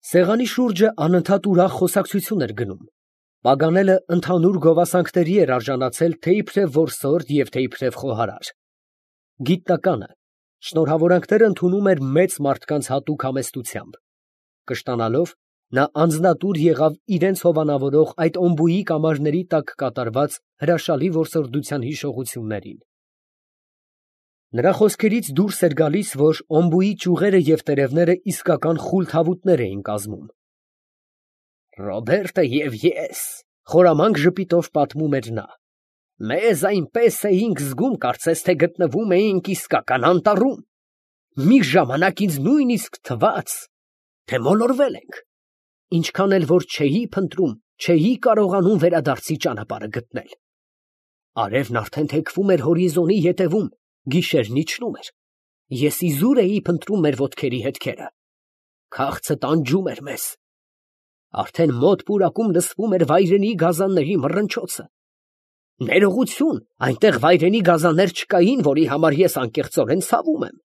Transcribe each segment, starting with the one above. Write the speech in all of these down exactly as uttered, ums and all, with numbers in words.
Սեղանի շուրջը անընդհատ ուրախ խոսակցություն էր գնում։ Պագանելը ընդհանուր գովասանքների էր արժանացել թե՛ իբրև որսորդ և թե՛ իբրև խոհարար։ Գիտնականը շնորհավորանքներ ընդունում էր մեծ մարդկանց հատուկ համեստությամբ։ Կշտանալով, նա անձնատուր եղավ իրենց հովանավորող այդ օմբուի կամարների տակ կատարված հրաշալի որսորդության հիշողություններին։ Նրա խոսքերից դուրս էր գալիս, որ օմբուի ճյուղերը և տերևները իսկական խուլ թավուտներ էին կազմում։ «Ռոբերտը և ես, ֊ խորամանկ ժպիտով պատմում էր նա, ֊ մեզ այնպես էինք զգում, կարծես թե գտնվում էինք իսկական անտառում. մի ժամանակ ինձ նույնիսկ թվաց, թե մոլորվել ենք, ինչքան էլ որ չէի փնտրում, չէի կարողանում վերադարձի ճանապարհը գտնել։ Արևն արդեն թեքվում էր հորիզոնի ետևում, գիշերն իջնում էր, ես իզուր էի փնտրում մեր ոտքերի հետքերը, քաղցը տանջում էր մեզ, արդեն մոտ պուրակում լսվում էր վայրենի գազանների մռնչոցը։ Ներողություն, այնտեղ վայրենի գազաններ չկային, որի համար ես անկեղծորեն ցավում եմ։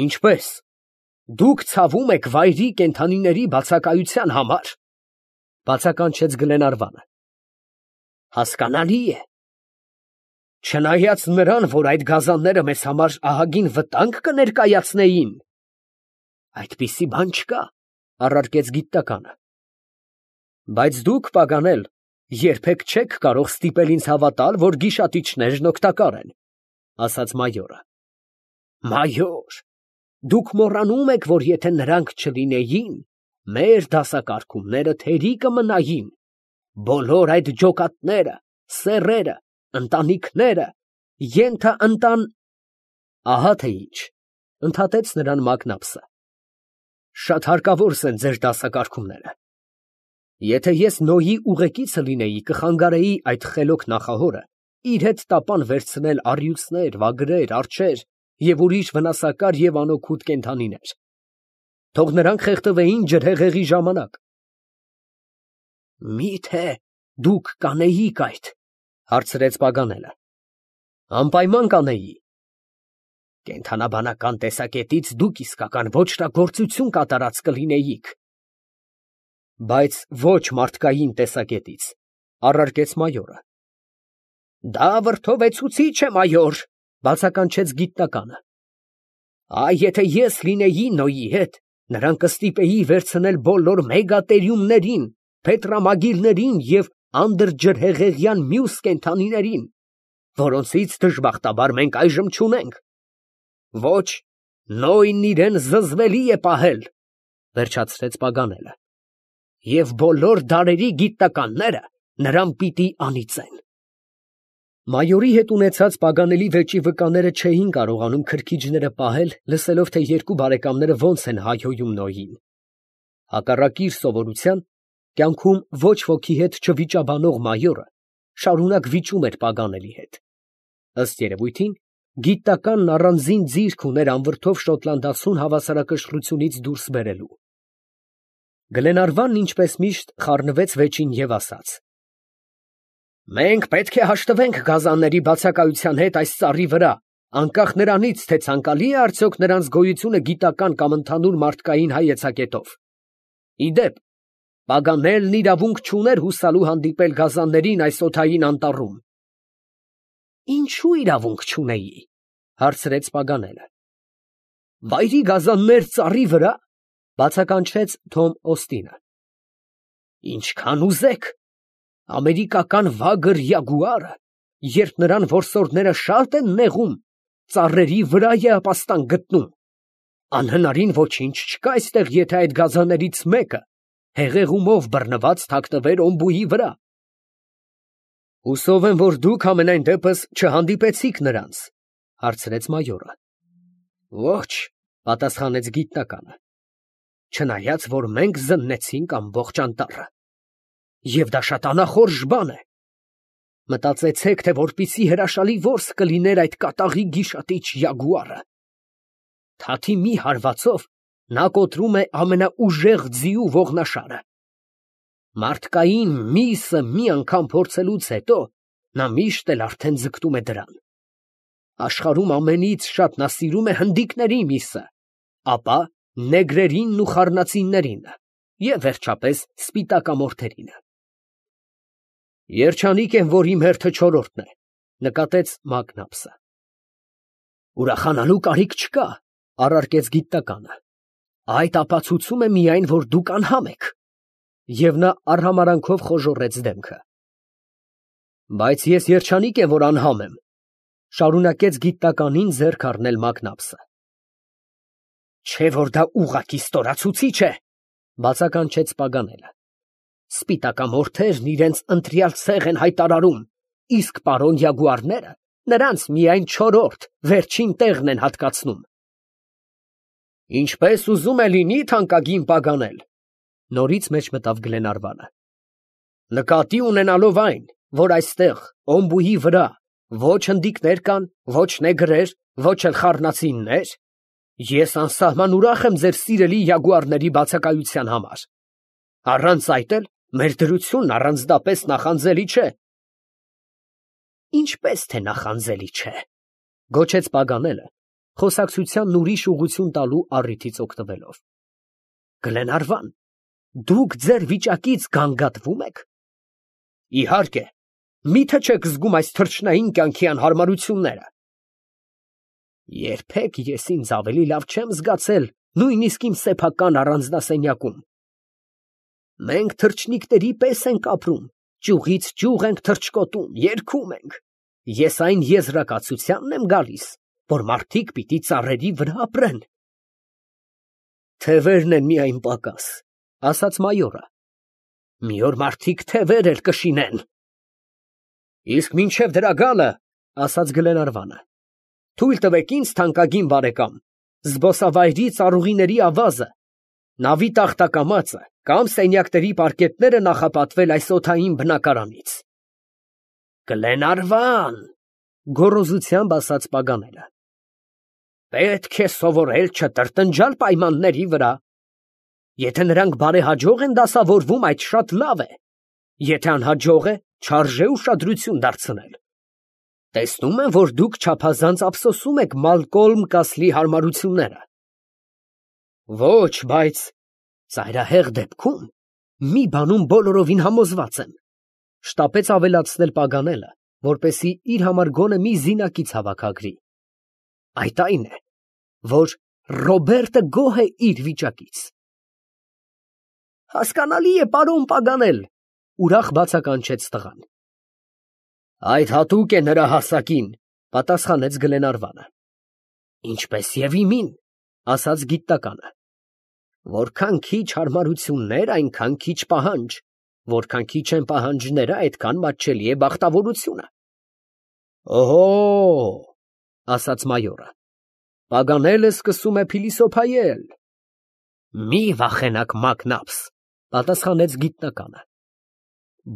Ինչպե՞ս, դուք ցավում եք վայրի կենդանիների բացակայության համար, ֊ բացականչեց Գլենարվանը։ Հասկանալի է։ Չնայած նրան, որ այդ գազանները մեզ համար ահագին վտանգ կներկայացնեին։ Այդպիսի բան չկա, ֊ առարկեց գիտականը։ Բայց դուք, Պագանել, երբեք չեք կարող ստիպել ինձ հավատալ, որ գիշատիչներն օգտակար են, ֊ ասաց մայորը։ Մայոր, դուք մոռանում եք, որ եթե նրանք չլինեին, մեր դասակարգումները թերի կմնային, բոլոր այդ ջոկատները, սեռերը, ընտանիքները, ենթաընտան… Ահա թե ինչ, ֊ ընդհատեց նրան Մակնապսը, շատ հարկավոր են ձեր դասակարգումները։ Եթե ես Նոյի ուղեկիցը լինեի, կխանգարեի այդ խելոք նախահորը իր հետ տապան վերցնել առյուծներ, վագրեր, արջեր և ուրիշ վնասակար և անօգուտ կենդանիներ, թող նրանք խեղդվեին ջրհեղեղի ժամանակ։ Մի՞թե դուք կանեիք այդ, ֊ հարցրեց Պագանելը։ Անպայման կանեի։ Կենդանաբանական տեսակետից դուք իսկական ոճրագործություն կատարած կլինեիք։ Բայց ոչ մարդկային տեսակետից, ֊ առարկեց մայորը։ Դա վրդովեցուցիչ է, մայոր, ֊ բացականչեց գիտնականը։ Այ եթե ես լինեի Նոյի հետ, նրան կստիպեի վերցնել բոլոր մեգատերիումներին, փետրամագիլներին և անդրջրհեղեղյան մյուս կենդանիներին, որոնցից դժբախտաբար մենք այժմ չունենք։ Ոչ, Նոյն իրան զզվելի է պահել, ֊ վերջացրեց Պագանելը, և բոլոր դարերի գիտնականները նրան պիտի անիծեն։ Մայորի հետ ունեցած Պագանելի վեճի վկաները չէին կարողանում քրքիջները պահել, լսելով, թե երկու բարեկամները ոնց են հայհոյում Նոյին։ Հակառակ իր սովորության, կյանքում ոչ ոքի հետ չվիճաբանող մայորը շարունակ վիճում էր Պագանելի հետ։ Ըստ երևույթին, գիտականն առանձին ձիրք ուներ անվրդով շոտլանդացուն հավասարակշռությունից դուրս բերելու։ Գլենարվանն ինչպես միշտ խառնվեց վեճին և ասաց. Մենք պետք է հաշտվենք գազանների բացակայության հետ այս ծառի վրա, անկախ նրանից, թե ցանկալի է արդյոք նրանց գոյությունը գիտական կամ ընդհանուր մարդկային հայեցակետով։ Իդեպ, Պագանելն իրավունք չուներ հուսալու հանդիպել գազաններին այս օդային անտառում։ Ինչու իրավունք չունեի, ֊ հարցրեց Պագանելը։ Վայրի գազաններ ծառի վրա, ֊ բացականչեց Թոմ Օստինը։ Ինչքան ուզեք, ամերիկական վագր յագուարը, երբ նրան որսորդները շատ են նեղում, ծառերի վրա է ապաստան գտնում։ Անհնարին ոչինչ չկա այստեղ, եթե այդ գազաններից մեկը հեղեղումով բռնված թաքնվեր օմբուի վրա։ Հուսով եմ, որ դուք համենայն դեպս չհանդիպեցիք նրանց, ֊ հարցրեց մայորը։ Ոչ, ֊ պատասխանեց գիտնականը, չնայած որ մենք զննեցինք ամբողջ անտառը։ Եվ դա շատ անախորժ բան է։ Մտածեցեք, թե որպիսի հրաշալի որս կլիներ այդ կատաղի գիշատիչ յագուարը։ Թաթի մի հարվածով նա կոտրում է ամենաուժեղ ձիու ողնաշարը։ Մարդկային միսը մի անգամ փորձելուց հետո նա միշտ էլ արդեն ձգտում է դրան։ Աշխարհում ամենից շատ նա սիրում է հնդիկների միսը, ապա նեգրերին ու խառնածիններին և վերջապես սպիտակամորթերին։ Երջանիկ եմ, որ իմ հերթը չորրորդն է, նկատեց Մագնապսը։ Ուրախանալու կարիք չկա, առարկեց գիտականը, այդ ապացուցում է միայն, որ դուք անհամ եք։ Եվ նա արհամարանքով խոժոռեց դեմքը։ Բայց ես երջանիկ եմ, որ անհամ եմ, շարունակեց գիտականին ձեռք առնել Մագնապսը։ Չէ՞ որ դա ուղղակի ստորացուցիչ է, բացականչեց Պագանելը։ Սպիտակամորթերն իրենց ընտրյալ ցեղ են հայտարարում, իսկ պարոն Յագուարները նրանց միայն չորրորդ, վերջին տեղն են հատկացնում։ Ինչպես ուզում է լինի, թանկագին Պագանել, նորից մեջ մտավ Գլենարվանը։ Նկատի ունենալով այն, որ այստեղ օմբուի վրա ոչ հնդիկներ կան, ոչ նեգրեր, ոչ էլ խառնածիններ, ես անսահման ուրախ եմ ձեր սիրելի յագուարների բացակայության համար։ Առանց այդ էլ մեր դրությունն առանձնապես նախանձելի չէ։ Ինչպես թե նախանձելի չէ, գոչեց Պագանելը, խոսակցությանն ուրիշ ուղղություն տալու առիթից օգտվելով։ Գլենարվան, դուք ձեր վիճակից գանգատվո՞ւմ եք։ Իհարկե, միթե չեք զգում այս թռչնային կյանքի անհարմարությունները։ Երբեք ես ինձ ավելի լավ չեմ զգացել, նույնիսկ իմ սեփական առանձնասենյակում։ Մենք թռչնիկների պես ենք ապրում, ճյուղից ճյուղ ենք թռչկոտում, երգում ենք։ Ես այն եզրակացությանն եմ գալիս, որ մարդիկ պիտի ծառերի վրա ապրեն։ Թևերն են միայն պակաս, ասաց մայորը։ Մի օր մարդիկ թևեր էլ կշինեն։ Իսկ մինչև դրա գալը, ասաց Գլենարվանը, թույլ տվեք ինձ, թանկագին բարեկամ, զբոսավայրի ծառուղիների ավազը, նավի տախտակամածը կամ սենյակների պարկետները նախապատվել այս օդային բնակարանից։ Գլենարվան, գոռոզությամբ ասաց Պագանելը, պետք է սովորել չտրտնջալ պայմանների վրա։ Եթե նրանք բարեհաջող են դասավորվում, այդ շատ լավ է, եթե անհաջող է, չարժե ուշադրություն դարձնել։ Տեսնում եմ, որ դուք չափազանց ափսոսում եք Մալկոլմ Կասլի հարմարությունները։ Ոչ, բայց ծայրահեղ դեպքում մի բանում բոլորովին համոզված եմ, շտապեց ավելացնել Պագանելը, որպեսզի իր համար գոնե մի զինակից հավաքագրի։ Այդ այն է, որ Ռոբերտը գոհ է իր վիճակից։ Հասկանալի է, պարոն Պագանել, ուրախ բացականչեց տղան։ Այդ հատուկ է նրա հասակին, պատասխանեց Գլենարվանը։ Ինչպես եւ իմին, ասաց գիտականը։ Որքան քիչ հարմարություններ, այնքան քիչ պահանջ, որքան քիչ են պահանջները, այդքան մատչելի է բախտավորությունը։ Օհո, ասաց մայորը, Պագանելը սկսում է փիլիսոփայել։ Մի վախենաք, Մագնապս, պատասխանեց գիտնականը։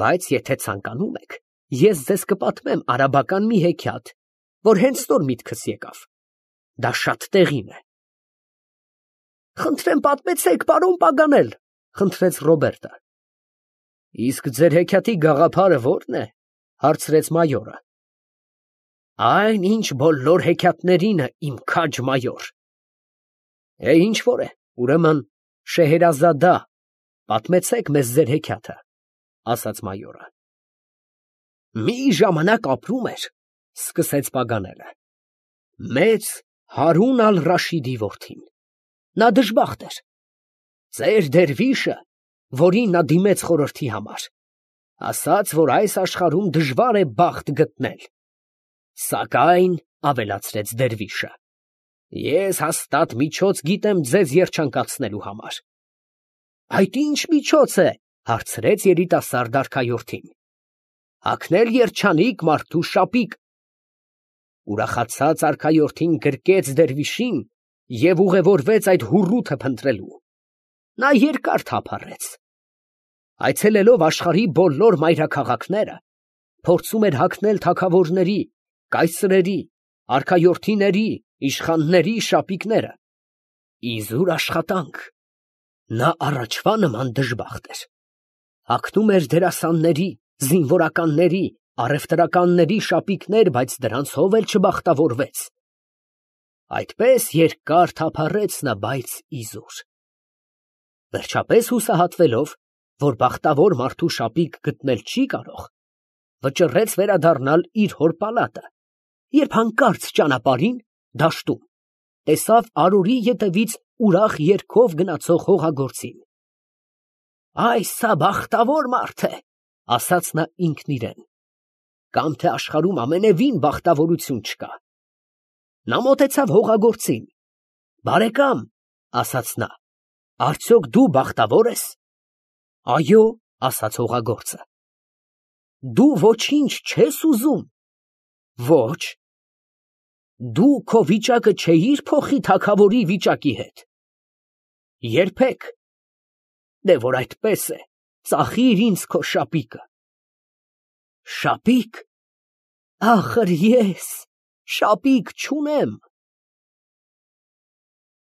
Բայց եթե ցանկանում եք, ես ձեզ կպատմեմ արաբական մի հեքիաթ, որ հենց նոր միտքս եկավ։ Դա շատ տեղին է։ Խնդրեմ պատմեցեք, պարոն Պագանել, խնդրեց Ռոբերտը։ Իսկ ձեր հեքիաթի գաղափարը ո՞րն է, հարցրեց մայորը։ Այն, ինչ բոլոր հեքիաթներինը, իմ քաջ մայոր։ Է, ինչ որ է, ուրեմն Շեհերազադա, պատմեցեք մեզ ձեր հեքիաթը, ասաց մայորը։ Մի ժամանակ ապրում էր, սկսեց Պագանելը, մեծ Հարուն ալ֊Ռաշիդի որդին։ Նա դժբախտ էր։ Ծեր դերվիշը, որին նա դիմեց խորհրդի համար, ասաց, որ այս աշխարհում դժվար է բախտ գտնել։ Սակայն, ավելացրեց դերվիշը, ես հաստատ միջոց գիտեմ ձեզ երջանկացնելու համար։ Այդ ինչ միջոց է, հարցրեց երիտասարդ արքայորդին։ Հագնել երջանիկ մարդու շապիկ։ Ուրախացած արքայորդին գրկեց դերվիշին և ուղևորվեց այդ հուռութը փնտրելու։ Նա երկար թափառեց։ Այցելելով աշխարհի բոլոր մայրաքաղաքները, փորձում էր հագնել թագավորների, կայսրերի, արքայորդիների, իշխանների շապիկները։ Իզուր աշխատանք։ Նա առաջվա նման դժբախտ էր։ Հագնում էր դերասանների, զինվորականների, առևտրականների շապիկներ, բայց դրանցով էլ չբախտավորվեց։ Այդպես երկար թափառեց նա, բայց իզուր։ Վերջապես հուսահատվելով, որ բախտավոր մարդու շապիկ գտնել չի կարող, վճռեց վերադառնալ իր հոր պալատը, երբ հանկարծ ճանապարհին, դաշտում, տեսավ արորի ետևից ուրախ երգով գնացող հողագործին։ «Այս հա բախտավոր մարդ է», ասաց նա ինքն իրեն, «կամ թե աշխարհում ամենևին բախտավորություն չկա»։ Նա մոտեցավ հողագործին։ «Բարեկամ», ասաց նա, «արդյոք դու բախտավոր ես»։ «Այո», ասաց հողագործը։ «Դու ոչինչ չես ուզում»։ «Ոչ»։ «Դու քո վիճակը չէիր փոխի թագավորի վիճակի հետ»։ «Երբեք»։ «Դե որ այդպես է, ծախիր ինձ քո շապիկը»։ «Շապի՞կ, ախր ես շապիկ չունեմ»։